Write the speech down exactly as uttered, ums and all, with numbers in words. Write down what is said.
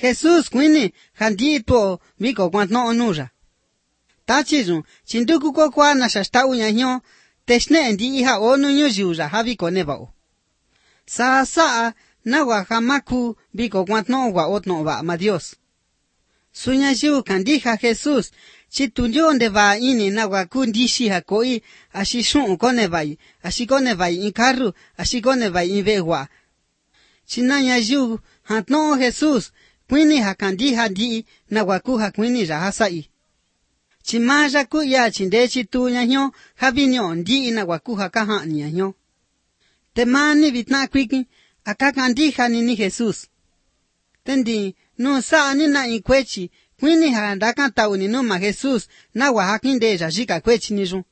Jesus quini handi to viko kwantno onuja. Tachizun, chinduku ko kwa na shasta unya nyo, teshne ndi iha onu nyo jiuja havi ko nevao. Sa saa na wa hamaku viko kwantno wa otno wa ma Dios. Sunya jiu kandiha Jesus, chitunyo onde va ini na wa kundishi ha koi, ashishun kone vai, ashikone vai in carru, ashikone vai in vegua. Chinanya jiu hantno Jesus, kwini ha kandiha di na wa ku ha kwini rahasai. Chimaja ku ya chinde chitu nyanyo, havinyo ndi na wa ku ha kaha nyanyo. Temani vitna kwiki, akakandiha nini Jesus. Tendi, no sa anina in kwechi, kwini ha ndaka tauni no ma Jesus, na wa hakinde jajika kwechi niju.